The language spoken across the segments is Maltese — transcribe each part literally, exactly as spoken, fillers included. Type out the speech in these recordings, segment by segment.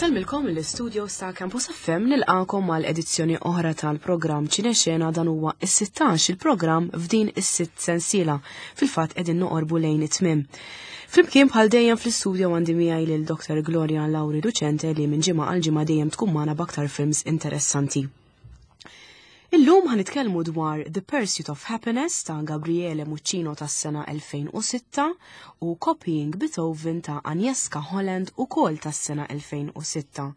Insellmilkom l-istudio ta' Campus F M, nilqakom għal edizzjoni oħra tal-programm Ċinexena. Dan huwa is-sittax il-programm f'din is-sitt sensiela. Fil-fatt qegħdin noqorbu lejn it-tmiem. Flimkien bħal dejjem fl-istudio għandi miegħi lil Doktor Gloria Lauri Ducente, li minn ġimgħa għal ġimgħa dejjem tkun magħna b'aktar films interessanti. Illum ħa nitkellmu dwar The Pursuit of Happiness ta' Gabriele Muccino tas-sena elfejn u sitta u Copying Beethoven ta' Agnieszka Holland, ukoll tas-sena elfejn u sitta.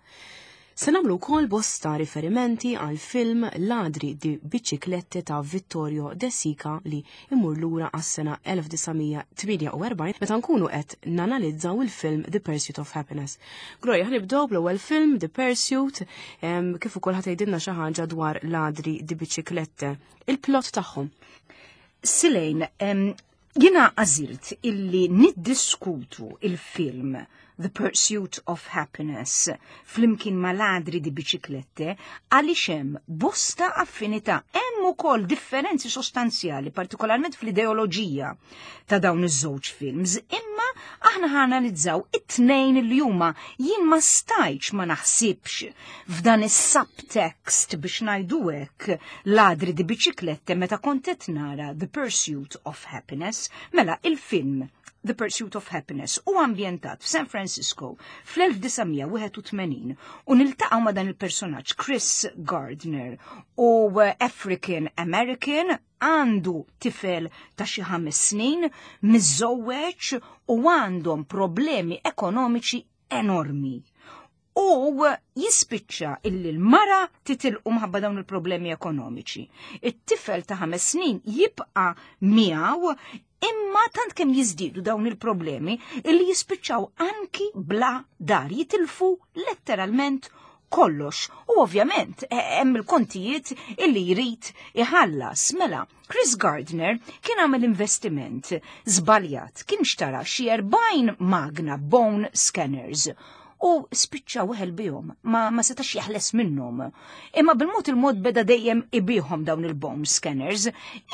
Se nagħmlu wkoll bosta riferimenti għal film Ladri di Biciclette ta' Vittorio De Sica li imur lura għas-sena elf disa' mija tmienja u erbgħin meta nkunu qed nanalizzaw il-film The Pursuit of Happiness. Gloria, ħa nibdew bl-ewwel film The Pursuit, em, kif ukoll ħa tgħidilna xi ħaġa dwar Ladri di Biciclette. Il-plot tagħhom. Silejn, em, jiena għażilt illi niddiskutu il-film The Pursuit of Happiness flimkien ma' Ladri di Biciclette għaliex hemm bosta affinità, hemm ukoll differenzi sostanzjali, partikolarment fl-ideoloġija ta' dawn iż-żewġ films, imma aħna ħa nanalizzaw it-tnejn li huma. Jien ma stajtx ma naħsibx f'dan is-subtext, biex ngħidu hekk, Ladri di Biciclette meta kont qed nara The Pursuit of Happiness. Mela, il-film The Pursuit of Happiness u ambjentat f'San Francisco fl-elf disa' mija wieħed u tmenin u niltaqgħu ma' dan il-personaġġ Chris Gardner, u African American, għandu tifel ta' xi ħames snin, miżżewweġ u għandhom problemi ekonomiċi enormi. U jispiċċa illi l-mara titilqu minħabba dawn il-problemi ekonomiċi. It-tifel ta' ħames snin jibqa' miegħu, imma tant kemm jiżdiedu dawn il-problemi illi jispiċċaw anki bla dar, jitilfu letteralment kollox. U ovvjament eh, hemm il-kontijiet illi jrid iħallas. Mela, Chris Gardner kien għamel investiment żbaljat, kien xtara xi erbgħin magna bone scanners u spiċċa weħel bihom, ma, ma setax jeħles minnhom. Imma bil-mod il-mod beda dejjem ibigħhom dawn il-bone scanners,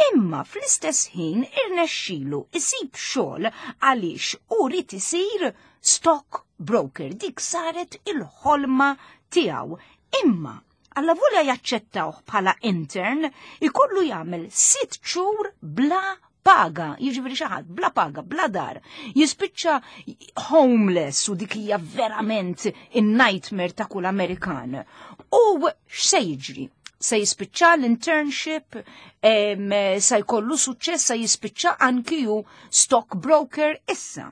imma fl-istess ħin irnexxilu isib xogħol għaliex u ried isir stock broker. Dik saret il-ħolma tiegħu. Imma alla volja jaċċettawh bħala intern, ikollu jagħmel sitt xhur bla paga, jiġifieri xi ħadd bla paga, bla dar, jispiċċa homeless, u dik hija verament in-nightmare ta' kull Amerikan. U x'se jiġri? Se jispiċċa l-internship, em, se jkollu suċċess, se jispiċċa anki hu stockbroker issa.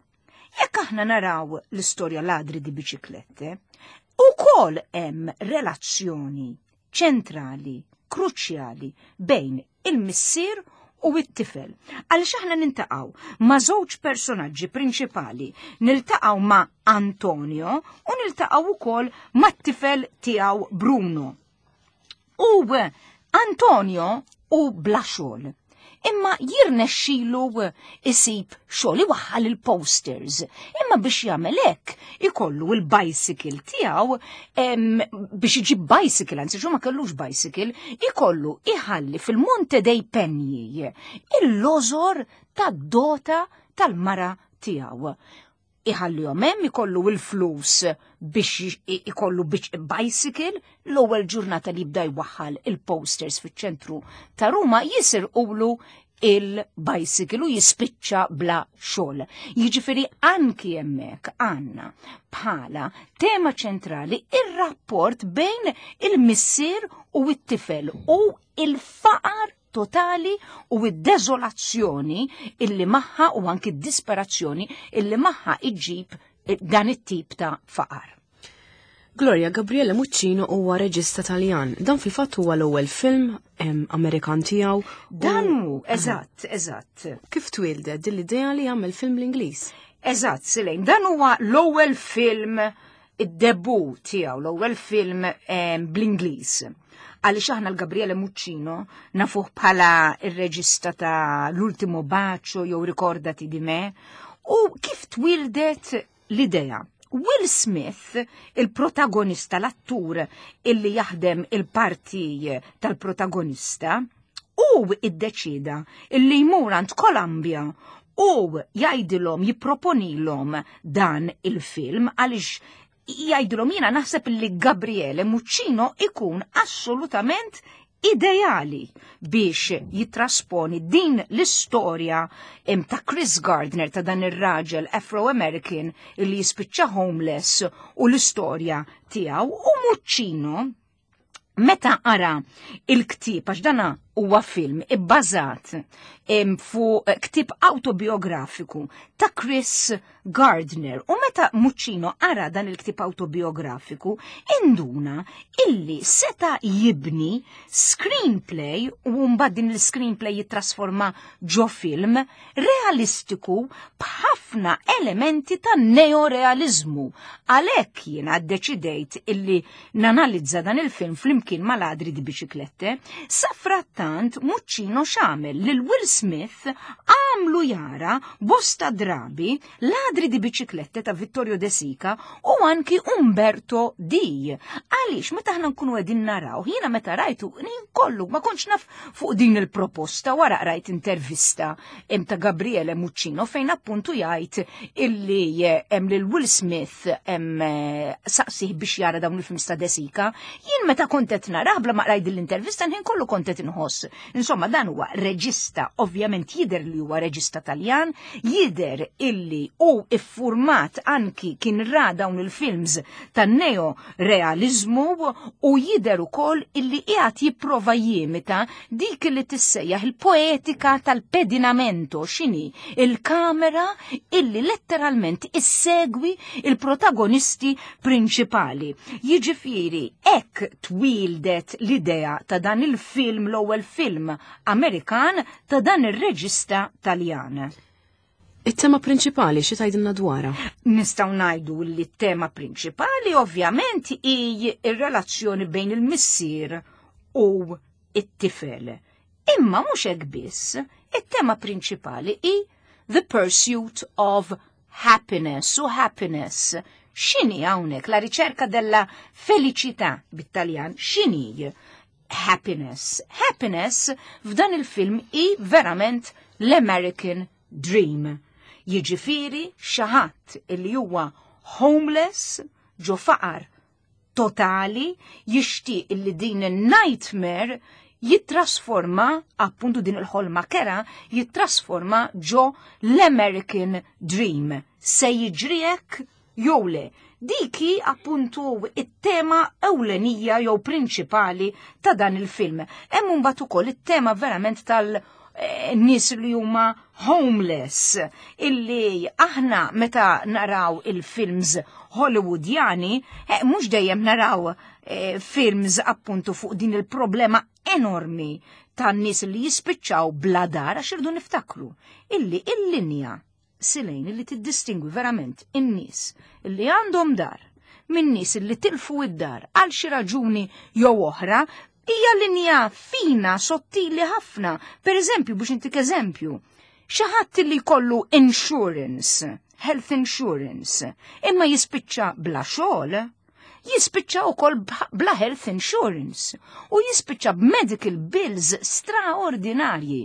Jekk aħna naraw l-istorja Ladri di Biciclette, ukoll hemm relazzjoni ċentrali, kruċjali bejn il-missier u it-tifel. Għaliex aħna niltaqgħu ma' żewġ personaġġi prinċipali, niltaqgħu ma' Antonio u niltaqgħu ukoll ma' t-tifel tiegħu Bruno. U Antonio u bla xogħol. Imma jirnexxilu isib xogħol iwaħħal il-posters. Imma biex jagħmel hekk ikollu il-bicycle tiegħu, em, biex iġib bicycle, anzi xu ma kellux bicycle, ikollu iħalli fil-Monte dei Pegni il-lożor tad-dota tal-mara tiegħu. Iħallihom hemm, ikollu il-flus biex i- ikollu biex bicycle. L-ewwel ġurnata li jibda jwaħħal il-posters fiċ-ċentru ta' Ruma jisirqulu il-bicycle u jispiċċa bla xogħol. Jiġifieri anki hemmhekk għandna bħala tema ċentrali ir-rapport bejn il-missier u it-tifel u il-faqar totali u id-deżolazzjoni illi magħha u anki d-disperazzjoni illi magħha iġib dan it-tip ta' faqar. Gloria, Gabriele Muccino huwa reġista Taljan. Dan fil-fatt huwa l-ewwel film em, Amerikan tiegħu. Dan hu, eżatt, eżatt. Kif twildet din l-idea li jagħmel film l-Ingliż? Eżatt, Silejn, dan huwa l-ewwel film, id-debut tiegħu, l-ewwel film em, bl-Ingliż. Għaliex aħna l-Gabriele Muccino nafuh bħala ir-reġista ta' L'ultimo bacio jew Ricordati di me, u kif twildet l-idea? Will Smith, il-protagonista, l-attur illi jaħdem il-parti tal-protagonista, u iddeċida illi jmur għand Columbia u jgħidilhom, jipproponilhom dan il-film għaliex Jgħidulhom, jiena naħseb li Gabriele Muccino ikun assolutament ideali biex jitrasponi din l-istorja ta' Chris Gardner, ta' dan ir-raġel Afro-American li jispiċċa homeless u l-istorja tiegħu. U Muccino, meta qara il-ktib, għax dana huwa film ibbażat fuq ktib autobiografiku ta' Chris Gardner. U meta Muccino qara dan il-ktib autobiografiku, induna illi seta jibni screenplay u mbagħad din il-screenplay jittrasforma ġo film realistiku b'ħafna elementi ta' neorealizmu. Għalhekk jiena ddeċidejt illi nanalizza dan il-film flimkien ma' Ladri di Biciclette. Safrattant Muccino x'għamel? Lil Will Smith għamlu jara bosta drabi Ladri di Biciclette ta' Vittorio De Sica u anki Umberto D. Għaliex meta aħna nkunu qegħdin naraw, jiena meta rajtu kollu ma kontx naf fuq din il-proposta, wara rajt intervista em ta' Gabriele Muccino fejn appuntu jgħid illi hemm lil Will Smith hemm saqsih biex jara dawn il-films ta' De Sica. Jien meta kont qed narah, bla ma qrajt l-intervista, nħin kollu kont qed inħoss. Insomma, dan huwa reġista, ovvjament jider li huwa reġista Taljan, jider illi u iffurmat anki kien ra dawn il-films tan-neo realizmu u jider ukoll illi qiegħed jipprova jimita dik li tissejjaħ il-poetika tal-pedinamento, x'inhi il-kamera illi letteralment issegwi il-protagonisti prinċipali. Jiġifieri hekk twildet l-idea ta' dan il-film, l-ewwel film Amerikan ta' dan ir-reġista Taljan. It-tema prinċipali xi tgħidilna dwarha? Nistgħu ngħidu li t-tema prinċipali ovvjament hi ir-relazzjoni bejn il-missier u it-tifel. Imma mhux hekk biss, it-tema prinċipali hi the pursuit of happiness u happiness. X'inhi hawnhekk la ricerca della felicità bit-Taljan? X'inhi happiness? Happiness f'dan il-film hi verament l-American Dream. Jiġifieri xi ħadd illi huwa homeless, ġo faqar totali, jixtieq illi din il-nightmare jittrasforma, appuntu din il-ħolma kerha, jittrasforma ġo l-American Dream. Se jiġri hekk jew le? Diki appuntu it-tema ewlenija jew prinċipali ta' dan il-film. Hemm mbagħad ukoll it-tema verament tal- eh, nies li huma homeless, illi aħna meta naraw il-films Hollywoodjani, eh, mhux dejjem naraw eh, films appuntu fuq din il-problema enormi tan nies li jispiċċaw bla dar, għax irdu niftakru illi il-linja silejn illi tiddistingwi verament in-nies illi għandhom dar minn nies illi tilfu id-dar għal xi raġuni jew oħra hija linja fina, sottili ħafna. Per eżempju, biex intik eżempju, xi ħadd li jkollu insurance, health insurance, imma jispiċċa bla xogħol, jispiċċa wkoll bla health insurance u jispiċċa b'medical bills straordinarji.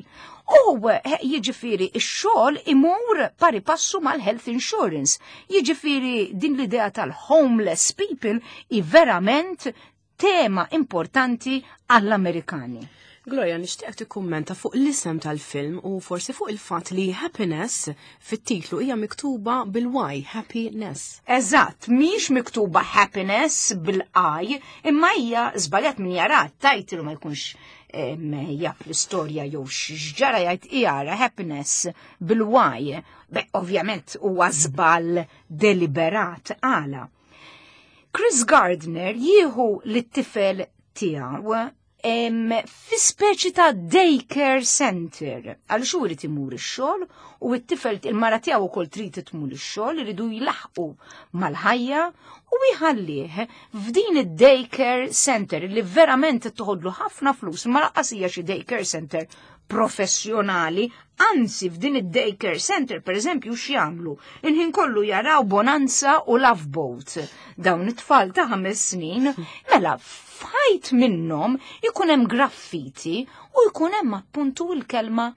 U eh, jiġifieri ix-xogħol imur pari passu mal-health insurance. Jiġifieri din l-idea tal-homeless people hi verament tema importanti għall-Amerikani. Gloria, nixtieq tikkummenta fuq l-isem tal-film u forsi fuq il-fatt li happiness fit-titlu hija miktuba bil-Y, happiness. Eżatt, mhix miktuba happiness bil-I, imma hija żbaljat. Min jara title ma jkunx jaf l-istorja jew x'ġara, jgħid jara happiness bil-Y. Be, ovvjament huwa żball deliberat. Għala? Chris Gardner jieħu lit-tifel tiegħu fi speċi ta' daycare center. Għal xu irid imur ix-xogħol u t-tifel, il-mara tiegħu wkoll trid tmur ix-xogħol, iridu jlaħqu mal-ħajja u jħallih f'din id-daycare center li verament toħodlu ħafna flus, ma lanqas hija xi daycare center professjonali, anzi f'din id-daycare center, per eżempju, x'jagħmlu? Il-ħin kollu jaraw Bonanza u Love Boat. Dawn it-tfal ta' ħames snin, mela f'ħajt minnhom ikun hemm graffiti u jkun hemm appuntu l-kelma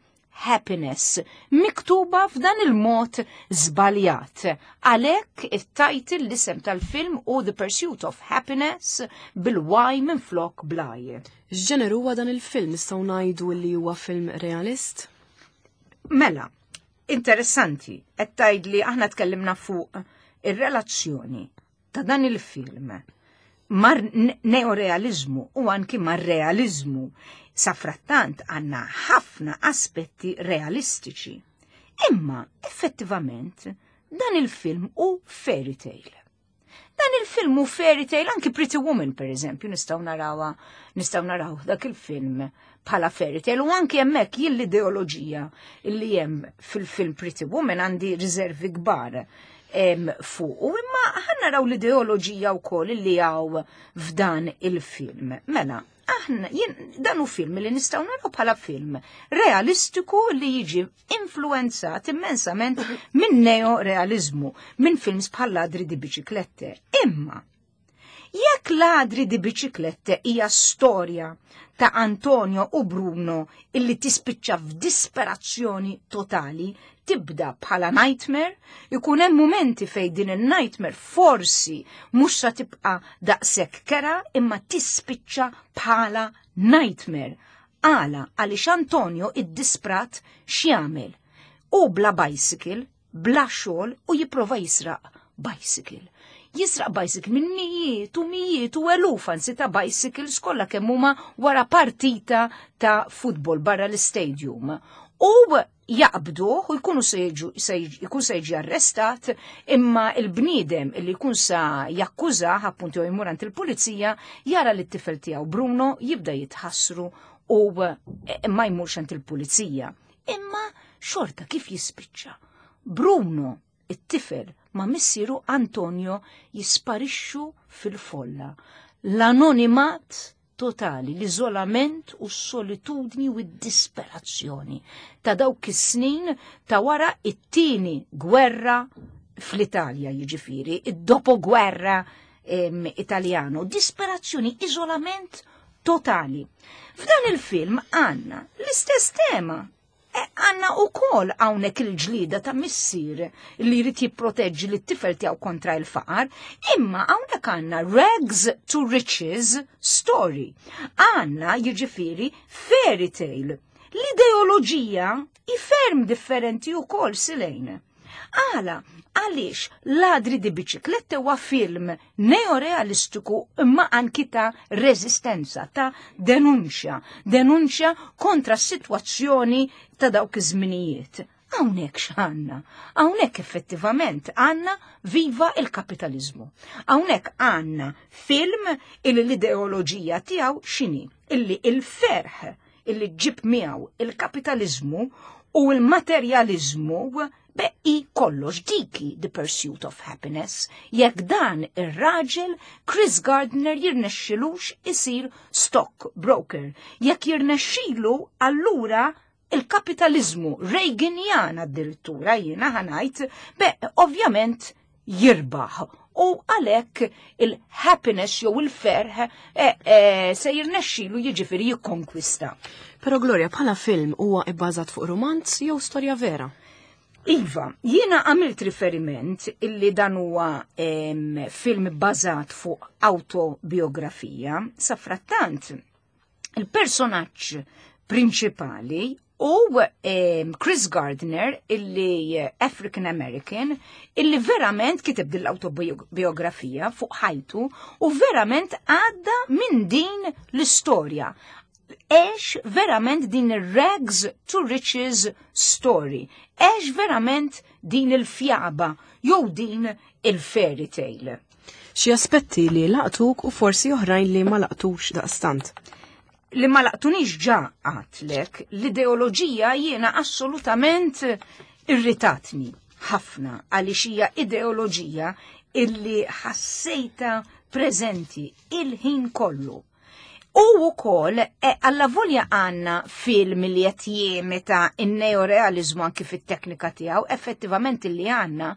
Happiness, miktuba f'dan il-mod żbaljat. Għalhekk it-title, l-isem tal-film u The Pursuit of Happiness bil-Y minn flok bl-I. X'ġeneru huwa dan il-film? Nistgħu ngħidu li huwa film realist? Mela, interessanti, qed tgħid li aħna tkellimna fuq ir-relazzjoni ta' dan il-film mar neorealizmu u anki mar realizmu. Safrattant għanna ħafna aspetti realistiċi. Imma effettivament dan il-film hu fairy tale. Dan il-film hu fairy tale, anki Pretty Woman, per eżempju, nistgħu narawha, nistgħu naraw dak il-film bħala fairy tale, u anki hemmhekk jien l-ideoloġija li hemm fil-film Pretty Woman għandi riservi kbar fuq. U imma ħa naraw l-ideoloġija wkoll li hawn f'dan il-film. Mela, aħna jien dan hu film li nistgħu naraw bħala film realistiku li jiġi influenzat immensament minn neorealizmu, minn films bħal Ladri di Biciclette. Imma jekk Ladri di Biciclette hija storja ta' Antonio u Bruno illi tispiċċa f'disperazzjoni totali, tibda bħala nightmare, ikun hemm momenti fej din il-nightmare forsi mhux sa tibqa' daqshekk kerha, imma tispiċċa bħala nightmare. Għala? Għaliex Antonio id-disprat x'jagħmel? U bla bicycle, bla xogħol, u jipprova jisraq bicycle. Jisraq bicycle minn mijiet u mijiet u eluf anzi ta' bicycles kollha kemm huma wara partita ta' futbol barra l-stadium. U jaqbduh u jkunu se jkun se jiġi arrestat, imma il-bniedem illi jkun sa jakkużah, appuntu, jmur għand il-pulizija, jara li t-tifel tiegħu Bruno jibda jitħassru u eh, ma jmurx għand il-pulizija. Imma xorta kif jispiċċa? Bruno, it-tifel, ma' missieru Antonio jisparixxu fil-folla. L-anonimat totali, l-iżolament u s-solitudni u d-disperazzjoni ta' dawk is-snin ta' wara it-tieni gwerra fl-Italja, jiġifieri, id-dopo-gwerra Italjano, disperazzjoni, iżolament totali. F'dan il-film għanna l-istess tema. E, għanna u kol hawnhekk il-ġlida ta' missier li jrid jipproteġġi lit-tifel tiegħu kontra il-faqar, imma hawnhekk għandna rags to riches story. Għandna, jiġifieri, fairy tale. L-ideoloġija i ferm differenti u kol silejn. Għala? Għaliex Ladri di Biciclette huwa film neorealistiku imma anki ta' rezistenza, ta' denunċja, denunċja kontra s-sitwazzjoni ta' dawk iż-żminijiet. Hawnhekk x'għandna? Hawnhekk effettivament għandna viva il-kapitalizmu. Hawnhekk għandna film illi l-ideoloġija tiegħu x'inhi? Illi il-ferħ illi ġib miegħu il-kapitalizmu u l-materjalizmu beqi kollox, diki The Pursuit of Happiness, jekk dan ir-raġel Chris Gardner jirnexxilux isir stock broker. Jekk jirnexxilu, allura il-kapitalizmu Reaganian addirittura, jiena ħa ngħid, be ovvjament jirbaħ u għalhekk il-happiness jew il-ferħ eh, eh, se jirnexxilu, jiġifieri, jikkonkwista. Però Gloria, bħala film huwa ibbażat fuq romanz jew storja vera? Iva, jiena għamilt riferiment illi dan huwa film bbażat fuq autobiografija, safrattant il-personaġġ prinċipali u Chris Gardner, illi African American, illi verament kiteb din l-autobiografija fuq ħajtu u verament għadda minn din l-istorja. Għex verament din il-rags to riches story. Għex verament din il-fjaba jew din il-fairy tale. Xi aspetti li laqtuk u forsi oħrajn li ma laqtux daqstant? Li ma laqtunix ġa għedtlek, l-ideoloġija jiena assolutament irritatni ħafna, għaliex hija ideoloġija illi ħassejta preżenti il-ħin kollu. U wkoll e, allavolja għandna film li qed jimita n-neorealizmu anki fit-teknika tiegħu, effettivament li għandna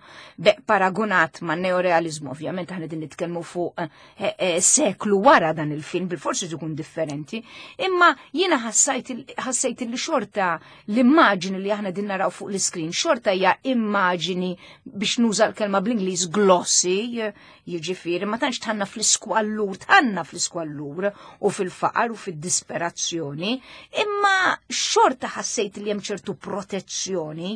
paragunat ma' neorealizmu, ovvjament aħna din nitkellmu fuq e, e, seklu wara dan il-film, bil-forsi ikun differenti, imma jiena ħassejt li xorta l-immaġini li aħna din naraw fuq l-iskrin, xorta hija immaġini biex nuża l-kelma bl-Ingliż glossy, jiġifieri ma tantx tħanna fl-iskwallur, tħanna fl-iskwallur u fil-faqar u fid-disperazzjoni, imma xorta ħassejt li hemm ċertu protezzjoni.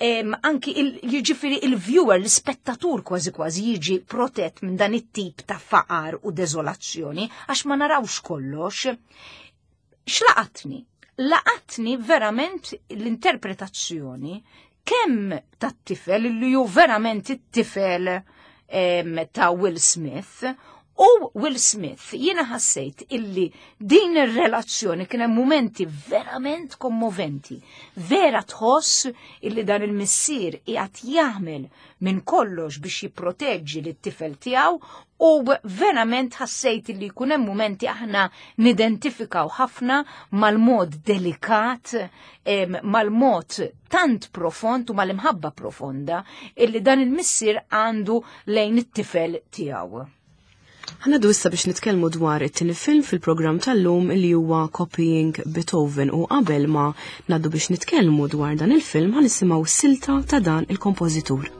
Em, anki jiġifieri il-viewer, l-ispettatur kważi kważi jiġi protett minn dan it-tip ta' faqar u deżolazzjoni għax ma narawx kollox. X'laqatni? Laqatni verament l-interpretazzjoni kemm tat-tifel li ju verament it-tifel ta' Will Smith u Will Smith. Jiena ħassejt illi din ir-relazzjoni kien hemm mumenti verament kommoventi. Vera tħoss illi dan il-missier qiegħed jagħmel minn kollox biex jipproteġġi lit-tifel tiegħu u verament ħassejt illi jkun hemm mumenti aħna nidentifikaw ħafna mal-mod delikat, mal-mod tant profond u mal-imħabba profonda illi dan il-missier għandu lejn it-tifel tiegħu. Ħanadu issa biex nitkellmu dwar it-tieni film fil-programm tal-lum li huwa Copying Beethoven, u qabel ma ngħaddu biex nitkellmu dwar dan il-film ħa nisimgħu silta ta' dan il-kompożitur.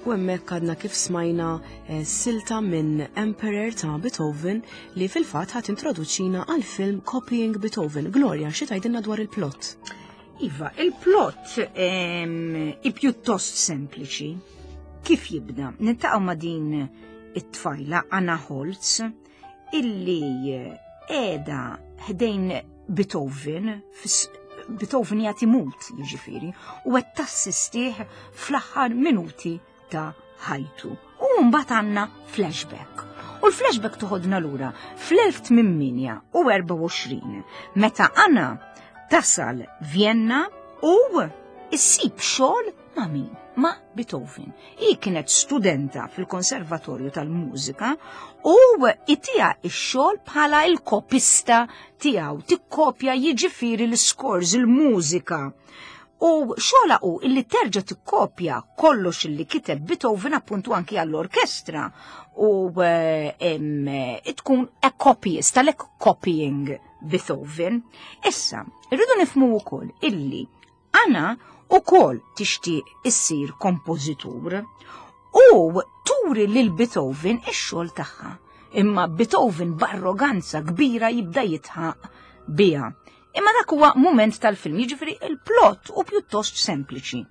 U hemmhekk għadna kif smajna silta minn Emperor ta' Beethoven li fil-fatt ħadd introduċina għal film Copying Beethoven. Gloria, xi tgħidilna dwar il-plot? Iva, il-plot i pjuttost sempliċi. Kif jibda? Niltaqgħu ma' din it-tfajla Anna Holtz illi qiegħda ħdejn Beethoven, Beethoven jagħti mut jiġifieri, u qed tassistih fl-aħħar minuti ta' ħajtu. U mbagħad għandna flashback. U l-flashback toħodna lura fl-elf tmien mija u erbgħa u għoxrin meta Anna tasal Vienna u issib xogħol ma' min? Ma' Beethoven. Hi kienet studenta fil-Konservatorju tal-Mużika u itiha x-xogħol bħala il-kopista tiegħu, tikkopja jiġifieri l-scores, il-mużika. U xogħolha hu illi terġa' tikkopja kollox illi kiteb Beethoven, appuntu anki għall-orkestra, u eh, tkun a copyist, għalhekk Copying Beethoven. Issa, irridu nifhmu wkoll illi Anna ukoll tixtieq issir kompożitur u turi lil Beethoven ix-xogħol tagħha. Imma Beethoven b'arroganza kbira jibda jidħaq biha. Imma dak huwa mument tal-film, jiġifieri il-plot hu pjuttost sempliċi.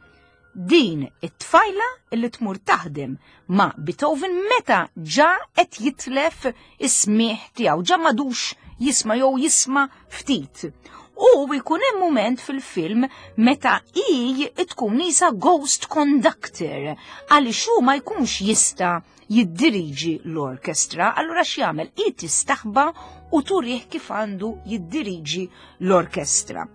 Din it-tfajla illi tmur taħdem ma' Beethoven meta ġa qed jitlef is-smieħ tiegħu, ġa m'għadux jisma' jew jisma' ftit. U jkun hemm mument fil-film meta hi tkun qisha ghost conductor għaliex hu ma jkunx jista' jiddiriġi l-orkestra, allura x'jagħmel? Hi tistaħba u turih kif għandu jiddiriġi l-orkestra.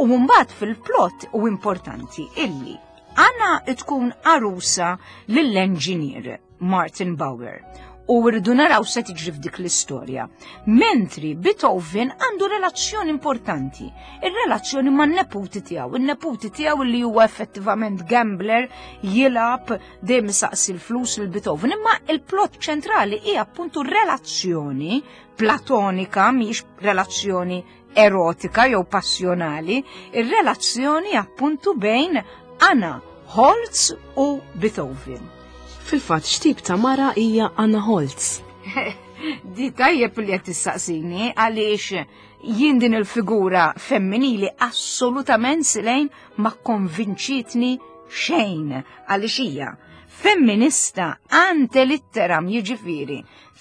U mbagħad fil-plot u importanti illi Anna tkun arusa lill-engineer Martin Bauer u rridu naraw se tiġri f'dik l-istorja. Mentri Beethoven għandu relazzjoni importanti, ir-relazzjoni man-neputi tiegħu, in-neputi tiegħu li huwa effettivament gambler, jilgħab, dejjem saqsi l-flus lil Beethoven, imma il-plot ċentrali hija appuntu relazzjoni platonika, mhix relazzjoni erotika jew passjonali, ir-relazzjoni appuntu bejn Anna Holtz u Beethoven. Fil-fatt, x'tip ta' mara hija Anna Holtz? Di tajjeb li qed tistaqsini, għaliex jien din il-figura femminili assolutament, Silejn, ma konvinċitni xejn, għaliex hija femminista ante litteram, jiġifieri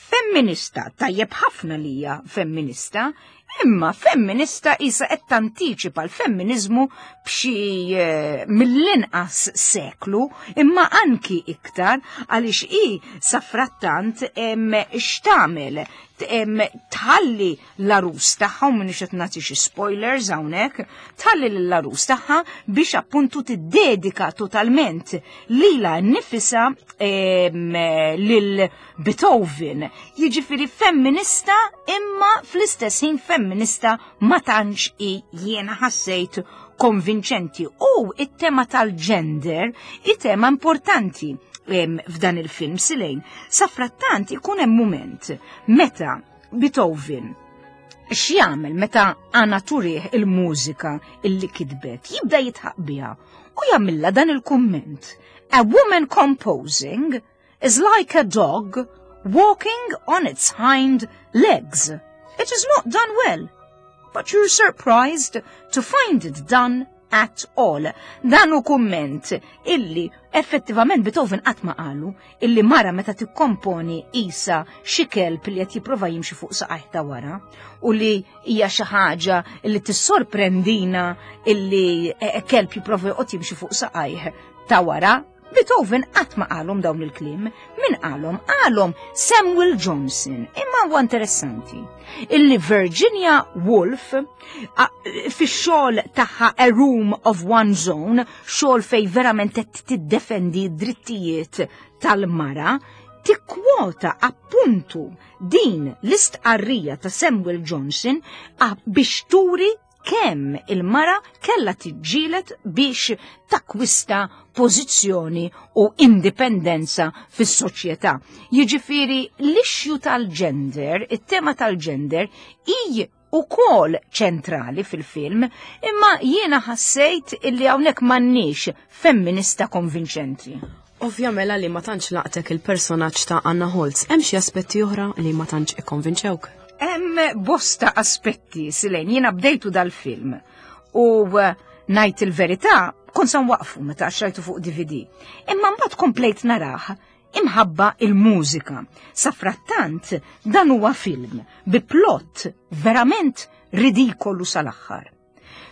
femminista tajjeb ħafna li hija femminista, imma femminista qisha qed tantiċipa l-femminizmu b'xi eh, mill-inqas seklu, imma anki iktar, għaliex i safrattant x'tagħmel? Tħalli l-arus tagħha, u m'iniex qed nagħti xi spoilers hawnhekk, tħalli l-arus tagħha biex appuntu tiddedika totalment lilha nnifisha lil Beethoven. Jiġifieri femminista, imma fl-istess ħin femminista ma tantx i jiena ħassejt konvinċenti. U it-tema tal-gender, it-tema importanti f'dan il-film, Silejn. Safrattant ikun hemm mument meta Beethoven x'jagħmel meta Anna turih il-mużika illi kitbet, jibda jidħaq biha u jagħmilha dan il-kumment: "A woman composing is like a dog walking on its hind legs. It is not done well, but you're surprised to find it done at all." Dan hu kumment illi effettivament Beethoven qatt ma qalu, illi mara meta tikkomponi qisha xi kelb li qed jipprova jimxi fuq saqajh ta' wara u li hija xi ħaġa li tissorprendina illi eh, kelb jipprova joqgħod jimxi fuq saqajh ta' wara. Beethoven qatt ma qalhom dawn il-kliem. Min qalhom? Qalhom Samuel Johnson. Imma huwa interessanti illi Virginia Woolf fix-xogħol tagħha A Room of One's Own, xogħol fej verament qed tiddefendi d-drittijiet tal-mara, tikkwota appuntu din l-istqarrija ta' Samuel Johnson biex turi kemm il-mara kella tiġġieled biex takwista pożizzjoni u indipendenza fis-soċjetà. Jiġifieri l-issue tal-gender, it-tema tal-gender, hi ukoll ċentrali fil-film, imma jiena ħassejt illi hawnhekk m'għandniex femminista konvinċenti. Ovvja mela li ma tantx laqtek il-personaġġ ta' Anna Holtz, hemm xi aspetti oħra li ma tantx ikkonvinċewk? Hemm bosta aspetti, Silejn, jiena bdejtu dal-film u eh, Ngħid il-verità, kont sa nwaqfu meta xtrajtu fuq D V D. Imma mbagħad komplejt narah imħabba il-mużika. Safrattant, dan huwa film bi plot verament ridikolu sal-aħħar.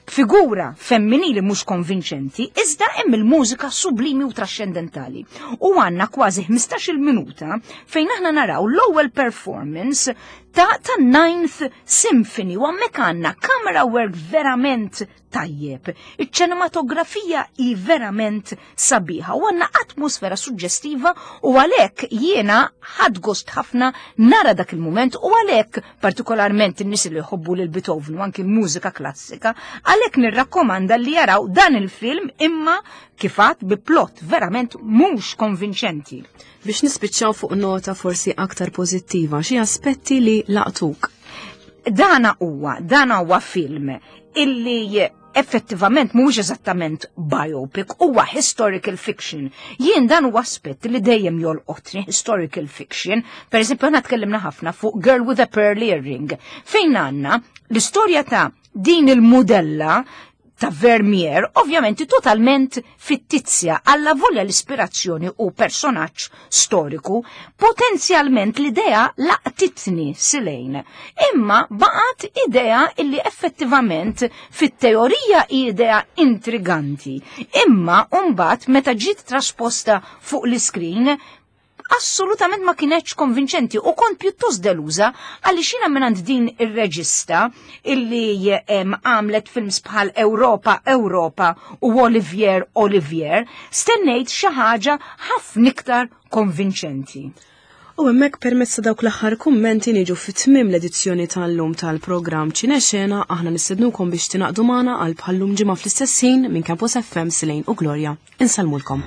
Figura femminili mhux konvinċenti, iżda hemm il-mużika sublimi u trascendentali. U għandna kważi ħmistax-il minuta fejn aħna naraw l-ewwel performance ta' ta' Ninth Symphony u hemmhekk għandna camera work verament tajjeb. Iċ-ċinematografija hi verament sabiħa u għandna atmosfera suġġestiva u għalhekk jiena ħadt gost ħafna nara dak il-moment u għalhekk partikolarment in-nies li jħobbu lil Beethoven u anki l-mużika klassika, għalhekk nirrakkomanda li jaraw dan il-film, imma kif għedt, bi plot verament mhux konvinċenti. Biex nispiċċaw fuq nota forsi aktar pożittiva, xi aspetti li laqtuk? Dana huwa, dana huwa film illi effettivament mhuwiex eżattament biopic, huwa historical fiction. Jien dan huwa aspett li dejjem jolqotni, historical fiction. Per eżempju, aħna tkellimna ħafna fuq Girl with a Pearl Earring, fejn għandna l-istorja ta' din il-modella ta' Vermeer, ovvjament totalment fittizja, alla volja l-ispirazzjoni u personaġġ storiku, potenzjalment l-idea laqtitni silejn. Imma baqgħet idea illi effettivament fit-teorija idea intriganti. Imma mbagħad meta ġiet trasposta fuq l-iskrin, assolutament ma kienetx konvinċenti u kont pjuttost deluża għaliex jiena mingħand din ir-reġista illi għamlet films bħal Europa Europa u Olivier Olivier stennejt xi ħaġa ħafna iktar konvinċenti. U hemmhekk, permezz ta' dawk l-aħħar kummenti, niġu fit-tmiem l-edizzjoni tal-lum tal-programm Ċinexena. Aħna nistednukom biex tingħaqdu magħna għal bħallum ġimgħa fl-istess ħin. Minn Campus F M, Silejn u Gloria. Insellmulkom.